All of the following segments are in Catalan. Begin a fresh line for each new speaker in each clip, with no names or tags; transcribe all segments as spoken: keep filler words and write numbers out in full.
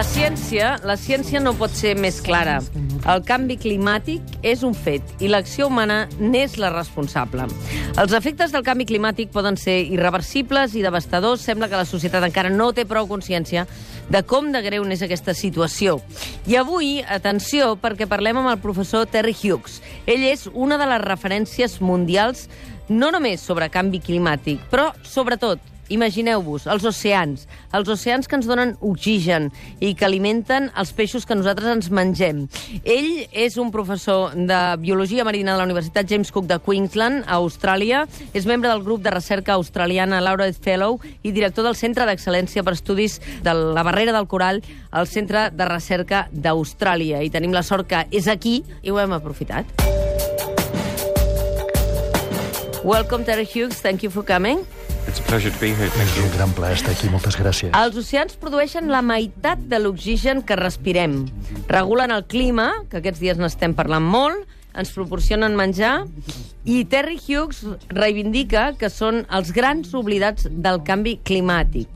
La ciència, la ciència no pot ser més clara. El canvi climàtic és un fet i l'acció humana n'és la responsable. Els efectes del canvi climàtic poden ser irreversibles i devastadors. Sembla que la societat encara no té prou consciència de com de greu n'és aquesta situació. I avui, atenció, perquè parlem amb el professor Terry Hughes. Ell és una de les referències mundials no només sobre canvi climàtic, però sobretot, imagineu-vos, els oceans, els oceans que ens donen oxigen i que alimenten els peixos que nosaltres ens mengem. Ell és un professor de Biologia Marina de la Universitat James Cook de Queensland, a Austràlia, és membre del grup de recerca australiana Laureate Fellow i director del Centre d'Excel·lència per Estudis de la Barrera del Corall al Centre de Recerca d'Austràlia. I tenim la sort que és aquí i ho hem aprofitat. Welcome, Terry Hughes. Thank you for coming.
It's a pleasure to be here. Thank you.
És un gran plaer estar aquí. Moltes gràcies.
Els oceans produeixen la meitat de l'oxigen que respirem. Regulen el clima, que aquests dies n'estem parlant molt, ens proporcionen menjar, i Terry Hughes reivindica que són els grans oblidats del canvi climàtic.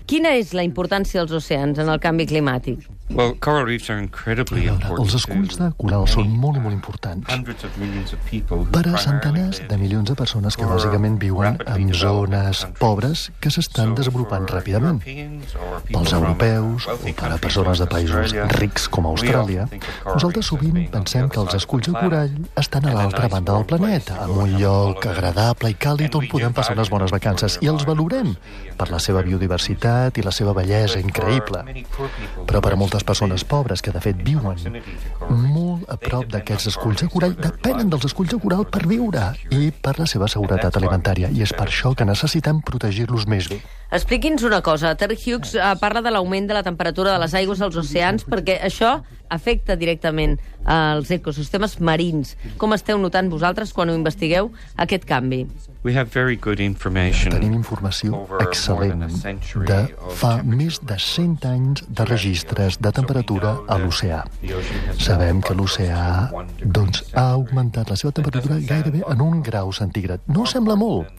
Quina és la importància dels oceans en el canvi climàtic?
Well, coral reefs are incredibly important.
Els esculls de coral són molt i molt importants per a centenars de milions de persones que bàsicament viuen en zones pobres que s'estan desenvolupant ràpidament. Pels europeus o per a persones de països rics com Austràlia, nosaltres sovint pensem que els esculls de corall estan a l'altra banda del planeta, en un lloc agradable i càlid on podem passar unes bones vacances, i els valorem per la seva biodiversitat i la seva bellesa increïble. Però per a moltes persones pobres que de fet viuen molt a prop d'aquests esculls de corall depenen dels esculls de coral per viure i per la seva seguretat alimentària, i és per això que necessitem protegir-los més bé.
Expliqui'ns una cosa. Terry Hughes eh, parla de l'augment de la temperatura de les aigües als oceans perquè això afecta directament als ecosistemes marins. Com esteu notant vosaltres quan ho investigueu, aquest canvi?
We have very good information.
Tenim informació excel·lent de fa més de cent anys de registres de temperatura a l'oceà. Sabem que l'oceà doncs, ha augmentat la seva temperatura gairebé en un grau centígrad. No sembla molt,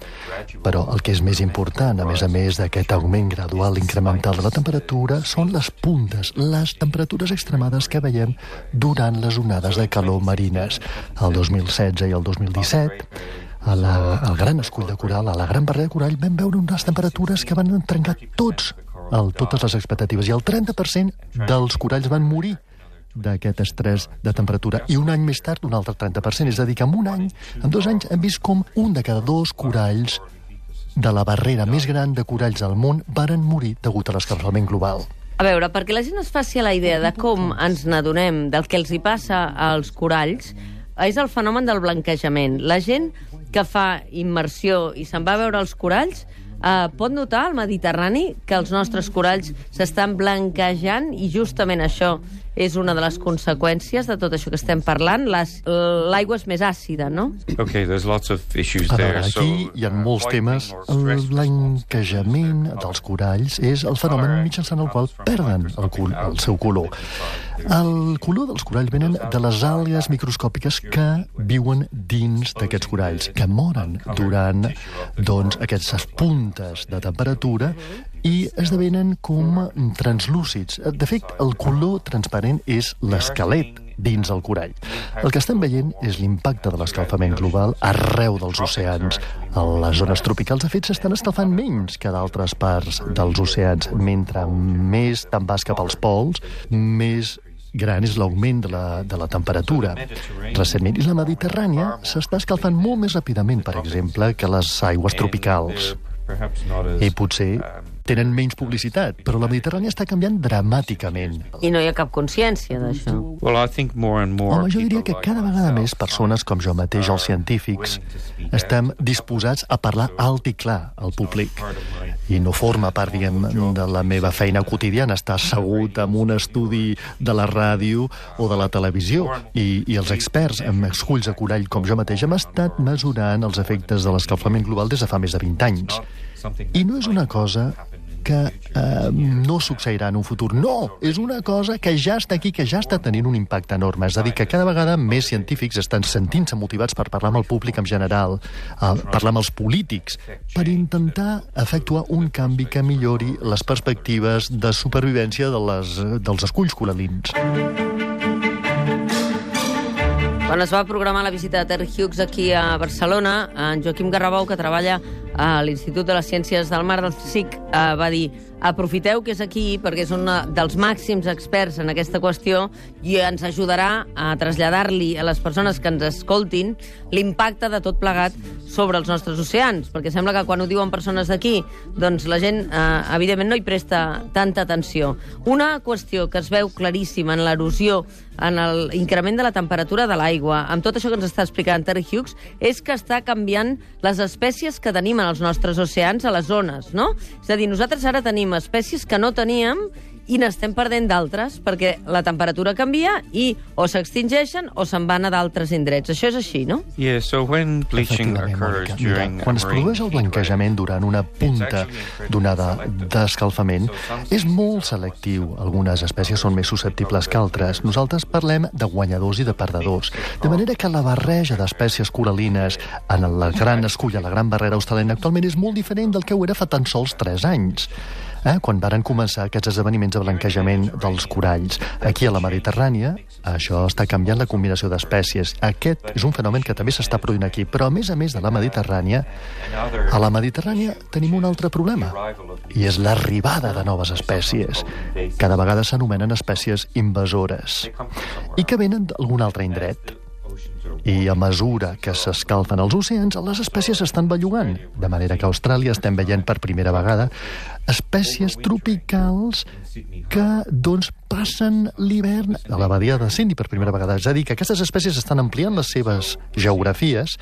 però el que és més important, a més a més d'aquest augment gradual incremental de la temperatura, són les puntes, les temperatures extremades que veiem durant les onades de calor marines. El dos mil setze i el dos mil disset, a la, al gran escull de coral, a la gran barrera de corall, vam veure unes temperatures que van trencar tots, el, totes les expectatives, i el trenta per cent dels coralls van morir d'aquest estrès de temperatura, i un any més tard un altre trenta per cent, és a dir, que en un any, en dos anys, hem vist com un de cada dos coralls de la barrera més gran de coralls al món varen morir degut a l'escalfament global.
A veure, perquè la gent es faci la idea de com ens n'adonem del que els hi passa als coralls, és el fenomen del blanquejament. La gent que fa immersió i se'n va a veure els coralls eh, pot notar al Mediterrani que els nostres coralls s'estan blanquejant, i justament això és una de les conseqüències de tot això que estem parlant. L'aigua és més àcida, no?
Okay, there's lots of issues
A
there.
veure, aquí hi ha molts temes. El blanquejament dels coralls és el fenomen mitjançant el qual perden el, col el seu color. El color dels coralls venen de les algues microscòpiques que viuen dins d'aquests coralls, que moren durant doncs, aquestes puntes de temperatura i esdevenen com translúcids. De fet, el color transparent és l'esquelet dins el corall. El que estem veient és l'impacte de l'escalfament global arreu dels oceans. A les zones tropicals, de fet, s'estan escalfant menys que d'altres parts dels oceans. Mentre més te'n vas cap als pols, més gran és l'augment de, la, de la temperatura. Recentment, i la Mediterrània s'està escalfant molt més ràpidament, per exemple, que les aigües tropicals. I potser tenen menys publicitat, però la Mediterrània està canviant dramàticament.
I no hi ha cap consciència d'això.
Well, I think more and more
Home, jo diria que cada vegada més persones com jo mateix, els científics, estem disposats a parlar alt i clar al públic. I no forma part, diguem, de la meva feina quotidiana, estar assegut en un estudi de la ràdio o de la televisió. I, i els experts en esculls de corall com jo mateix hem estat mesurant els efectes de l'escalfament global des de fa més de vint anys. I no és una cosa que eh, no succeirà en un futur. No! És una cosa que ja està aquí, que ja està tenint un impacte enorme. És a dir, que cada vegada més científics estan sentint-se motivats per parlar amb el públic en general, eh, parlar amb els polítics, per intentar efectuar un canvi que millori les perspectives de supervivència de les, dels esculls coralins.
Quan es va programar la visita de Terry Hughes aquí a Barcelona, en Joaquim Garrabou, que treballa a l'Institut de les Ciències del Mar del C I C, va dir: aprofiteu que és aquí perquè és un dels màxims experts en aquesta qüestió i ens ajudarà a traslladar-li a les persones que ens escoltin l'impacte de tot plegat sobre els nostres oceans, perquè sembla que quan ho diuen persones d'aquí, doncs la gent, eh, evidentment, no hi presta tanta atenció. Una qüestió que es veu claríssima en l'erosió, en l'increment de la temperatura de l'aigua, amb tot això que ens està explicant Terry Hughes, és que està canviant les espècies que tenim en els nostres oceans a les zones, no? És a dir, nosaltres ara tenim espècies que no teníem i n'estem perdent d'altres, perquè la temperatura canvia i o s'extingeixen o se'n van a d'altres indrets. Això és així, no?
Yeah, so when bleaching occurs during
quan es produeix el blanquejament durant una punta d'onada d'escalfament, és molt selectiu. Algunes espècies són més susceptibles que altres. Nosaltres parlem de guanyadors i de perdedors. De manera que la barreja d'espècies coralines en la gran escull, a la gran barrera australiana, actualment és molt diferent del que ho era fa tan sols tres anys. Eh, quan varen començar aquests esdeveniments de blanquejament dels coralls. Aquí a la Mediterrània, això està canviant la combinació d'espècies. Aquest és un fenomen que també s'està produint aquí, però a més a més de la Mediterrània, a la Mediterrània tenim un altre problema, i és l'arribada de noves espècies. Cada vegada s'anomenen espècies invasores, i que venen d'algun altre indret. I a mesura que s'escalfen els oceans, les espècies s'estan bellugant. De manera que a Austràlia estem veient per primera vegada espècies tropicals que, doncs, passen l'hivern a la badia de Sydney per primera vegada. És a dir, que aquestes espècies estan ampliant les seves geografies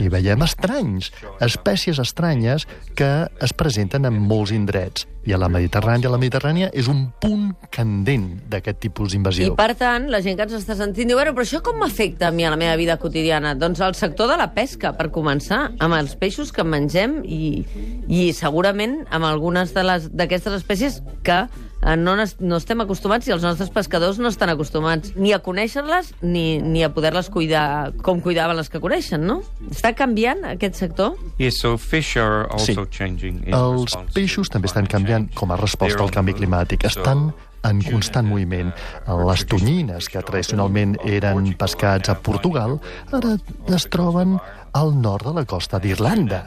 i veiem estranys, espècies estranyes que es presenten en molts indrets. I a la Mediterrània, la Mediterrània és un punt candent d'aquest tipus d'invasió.
I, per tant, la gent que ens està sentint diu: bueno, però això com m'afecta a mi a la meva vida quotidiana? Doncs el sector de la pesca, per començar, amb els peixos que mengem i, i segurament amb algunes d'aquestes espècies que no, no estem acostumats i els nostres pescadors no estan acostumats ni a conèixer-les ni, ni a poder-les cuidar com cuidaven les que coneixen, no? Està canviant aquest sector?
Yes, so fish are also
sí.
changing.
Els peixos també estan canviant com a resposta al canvi climàtic. Estan en constant moviment. Les tonyines, que tradicionalment eren pescats a Portugal, ara es troben al nord de la costa d'Irlanda.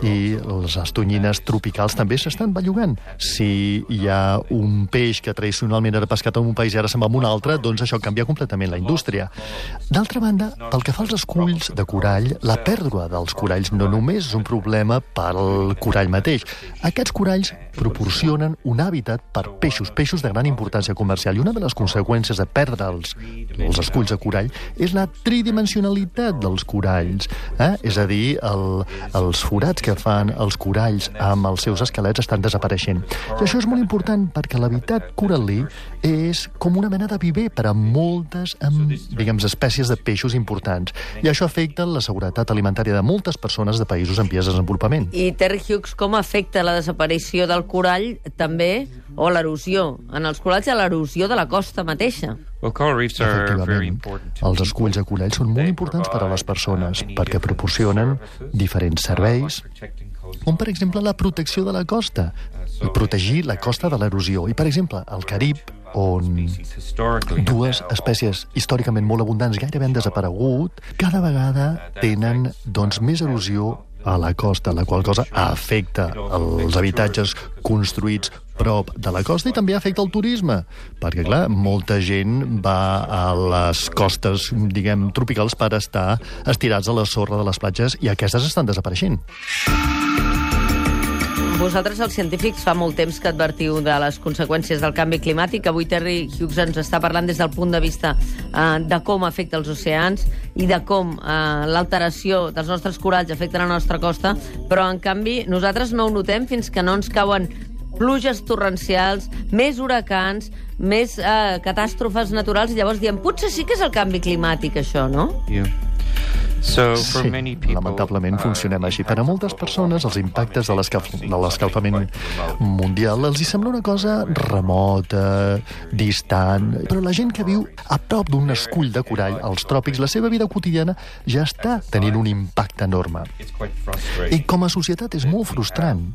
I les tonyines tropicals també s'estan bellugant. Si hi ha un peix que tradicionalment era pescat en un país i ara se'n va a un altre, doncs això canvia completament la indústria. D'altra banda, pel que fa als esculls de corall, la pèrdua dels coralls no només és un problema pel corall mateix. Aquests coralls proporcionen un hàbitat per peixos, peixos de gran importància comercial. I una de les conseqüències de perdre els, els esculls de corall és la tridimensionalitat dels coralls. Eh? És a dir, el, els forats que fan els coralls amb els seus esquelets estan desapareixent. I això és molt important perquè l'habitat coral·lí és com una mena de viver per a moltes, amb, diguem, espècies de peixos importants. I això afecta la seguretat alimentària de moltes persones de països en vies de desenvolupament.
I Terry Hughes, com afecta la desaparició del corall també, o l'erosió en els coralls i l'erosió de la costa mateixa?
Well, coral reefs are very important.
Els esculls de corall són molt importants per a les persones perquè proporcionen diferents serveis, com per exemple la protecció de la costa, i protegir la costa de l'erosió. I per exemple, al Carib, on dues espècies històricament molt abundants gairebé han desaparegut, cada vegada tenen, doncs, més erosió a la costa, la qual cosa afecta els habitatges construïts prop de la costa i també afecta el turisme, perquè, clar, molta gent va a les costes, diguem, tropicals per estar estirats a la sorra de les platges i aquestes estan desapareixent.
Vosaltres, els científics, fa molt temps que advertiu de les conseqüències del canvi climàtic. Avui Terry Hughes ens està parlant des del punt de vista eh, de com afecta els oceans i de com eh, l'alteració dels nostres coralls afecta la nostra costa, però, en canvi, nosaltres no ho notem fins que no ens cauen pluges torrencials, més huracans, més eh, catàstrofes naturals, i llavors diem, potser sí que és el canvi climàtic, això, no?
Yeah. So, for
Sí,
many people,
lamentablement
uh,
funcionem així. Per a moltes persones, els impactes de l'escalf- de l'escalfament mundial els hi sembla una cosa remota, distant, però la gent que viu a prop d'un escull de corall als tròpics, la seva vida quotidiana ja està tenint un impacte enorme.
it's quite frustrating.
I com a societat és molt frustrant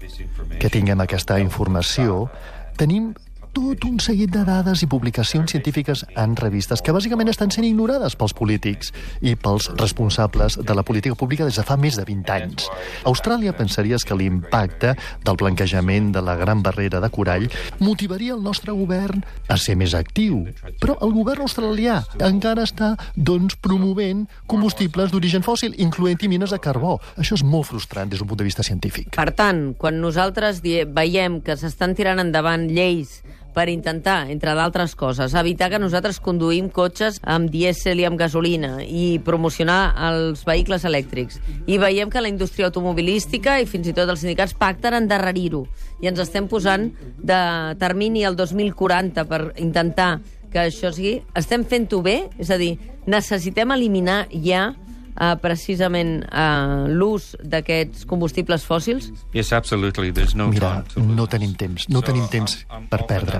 que tinguem aquesta informació. Tenim tot un seguit de dades i publicacions científiques en revistes que bàsicament estan sent ignorades pels polítics i pels responsables de la política pública des de fa més de vint anys. A Austràlia pensaries que l'impacte del blanquejament de la Gran Barrera de Corall motivaria el nostre govern a ser més actiu. Però el govern australià encara està, doncs, promovent combustibles d'origen fòssil, incloent-hi mines de carbó. Això és molt frustrant des d'un punt de vista científic.
Per tant, quan nosaltres die- veiem que s'estan tirant endavant lleis per intentar, entre d'altres coses, evitar que nosaltres conduïm cotxes amb dièsel i amb gasolina i promocionar els vehicles elèctrics. I veiem que la indústria automobilística i fins i tot els sindicats pacten endarrerir-ho. I ens estem posant de termini al dos mil quaranta per intentar que això sigui... Estem fent-ho bé? És a dir, necessitem eliminar ja Uh, precisament uh, l'ús d'aquests combustibles fòssils?
Yes, absolutely. There's no
Mira,
time to lose.
no tenim temps, no tenim temps per perdre.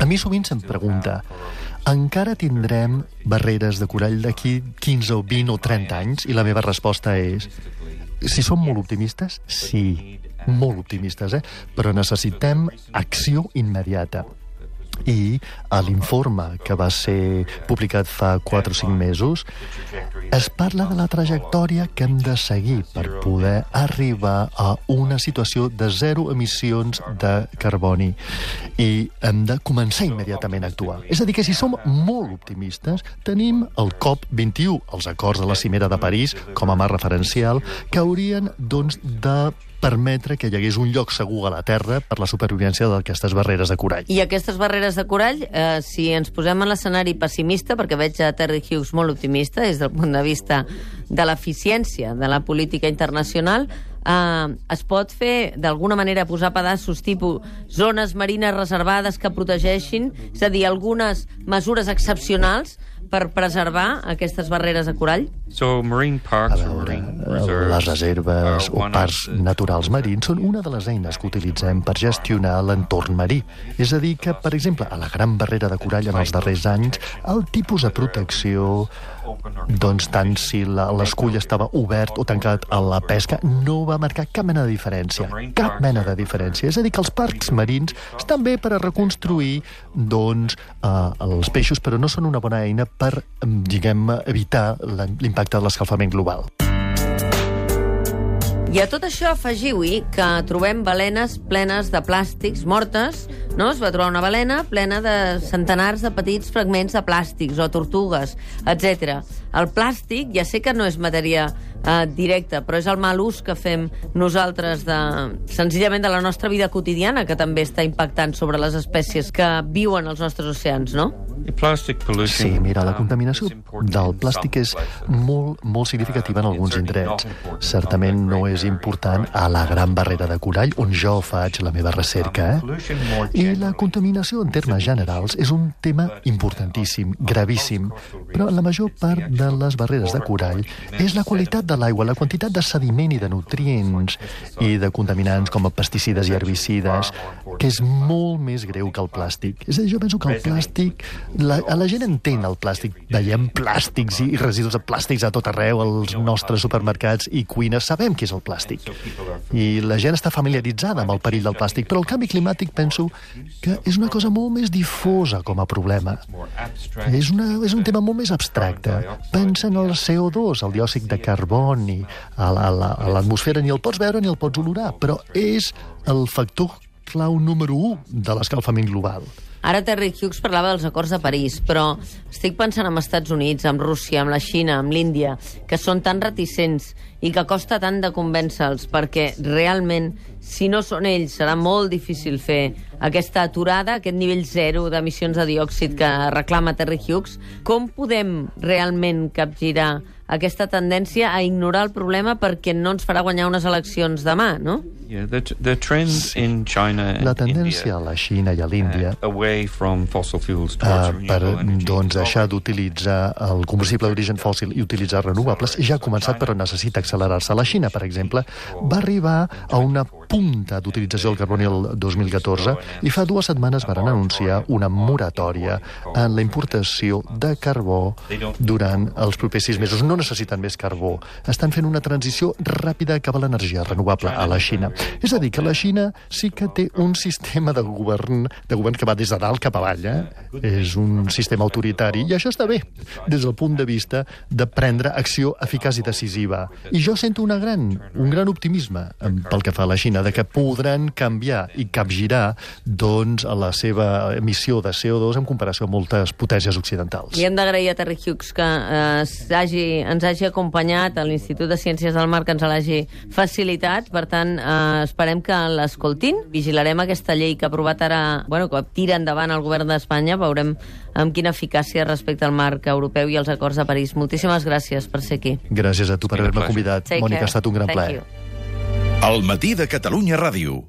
A mi sovint se'm pregunta, encara tindrem barreres de corall d'aquí quinze o vint o trenta anys? I la meva resposta és, si som molt optimistes, sí, molt optimistes, eh? Però necessitem acció immediata. I a l'informe que va ser publicat fa quatre o cinc mesos es parla de la trajectòria que hem de seguir per poder arribar a una situació de zero emissions de carboni i hem de començar immediatament a actuar. És a dir, que si som molt optimistes, tenim el COP vint-i-u, els acords de la Cimera de París, com a marc referencial, que haurien, doncs, de permetre que hi hagués un lloc segur a la Terra per la supervivència d'aquestes barreres de corall.
I aquestes barreres de corall, eh, si ens posem en l'escenari pessimista, perquè veig a Terry Hughes molt optimista des del punt de vista de l'eficiència de la política internacional, eh, es pot fer, d'alguna manera, posar pedaços tipus zones marines reservades que protegeixin, és a dir, algunes mesures excepcionals per preservar aquestes barreres de corall?
So, marine
A
parks or
veure,
marine reserves
les reserves
are
o
one
parcs
of the-
naturals marins són una de les eines que utilitzem per gestionar l'entorn marí. És a dir que, per exemple, a la Gran Barrera de Corall en els darrers anys, el tipus de protecció, doncs tant si la- l'escull estava obert o tancat a la pesca, no va marcar cap mena de diferència. Cap mena de diferència. És a dir, que els parcs marins estan bé per a reconstruir, doncs, eh, els peixos, però no són una bona eina per, em, diguem, evitar la- l'impacte de l'escalfament global.
I a tot això afegiu-hi que trobem balenes plenes de plàstics mortes, no? Es va trobar una balena plena de centenars de petits fragments de plàstics o tortugues, etcètera. El plàstic, ja sé que no és matèria eh, directa, però és el mal ús que fem nosaltres de, senzillament de la nostra vida quotidiana, que també està impactant sobre les espècies que viuen als nostres oceans, no?
The plastic pollution,
Sí, mira, la
um,
contaminació
is important
del
in
plàstic
some
és
places.
molt, molt significativa en
Uh,
alguns
it's certainly
indrets.
not important
Certament
on the
no
Great
és
Barrier
important
Reef.
a la Gran Barrera de Corall, on jo faig la meva recerca. Eh?
Pollution more
I la
generally
contaminació, en termes generals, és un tema importantíssim, gravíssim, però la major part de les barreres de corall és la qualitat de l'aigua, la quantitat de sediment i de nutrients i de contaminants com pesticides i herbicides, que és molt més greu que el plàstic. És a dir, jo penso que el plàstic... La, a la gent entén el plàstic. Veiem plàstics i residus de plàstics a tot arreu, als nostres supermercats i cuines. Sabem què és el plàstic. I la gent està familiaritzada amb el perill del plàstic, però el canvi climàtic penso que és una cosa molt més difosa com a problema. És, una, és un tema molt més abstracte. Pensa en el C O dos, el diòxid de carboni, a la- a la- a l'atmosfera, ni el pots veure ni el pots olorar, però és el factor clau número u de l'escalfament global.
Ara Terry Hughes parlava dels acords de París, però estic pensant en Estats Units, amb Rússia, amb la Xina, amb l'Índia, que són tan reticents i que costa tant de convèncer-los, perquè realment, si no són ells, serà molt difícil fer aquesta aturada, aquest nivell zero d'emissions de diòxid que reclama Terry Hughes. Com podem realment capgirar aquesta tendència a ignorar el problema perquè no ens farà guanyar unes eleccions demà, no?
Yeah, the, the trends in China and
La tendència a la Xina i a l'Índia
uh, away from fossil fuels
uh,
towards
per
renewable energy
doncs,
is
deixar
already-
d'utilitzar el combustible d'origen fòssil i utilitzar renovables ja ha començat, però necessita accelerar-se. La Xina, per exemple, va arribar a una punta d'utilització del carboni el dos mil catorze i fa dues setmanes van anunciar una moratòria en la importació de carbó durant els propers sis mesos. No necessiten més carbó. Estan fent una transició ràpida cap a l'energia renovable a la Xina. És a dir, que la Xina sí que té un sistema de govern, de govern que va des de dalt cap avall. Eh? És un sistema autoritari, i això està bé, des del punt de vista de prendre acció eficaç i decisiva. I jo sento una gran, un gran optimisme pel que fa a la Xina, de que podran canviar i capgirar doncs, la seva emissió de C O dos en comparació amb moltes potències occidentals.
I hem d'agrair a Terry Hughes que eh, hagi, ens hagi acompanyat a l'Institut de Ciències del Mar, que ens l'hagi facilitat. Per tant, eh, esperem que l'escoltin. Vigilarem aquesta llei que ha aprovat ara, bueno, que tira endavant el govern d'Espanya. Veurem amb quina eficàcia respecte al marc europeu i als acords de París. Moltíssimes gràcies per ser aquí.
Gràcies a tu per haver-me convidat.
Take
Mònica,
care.
ha estat un gran
Thank
plaer.
you.
Al matí de Catalunya Ràdio.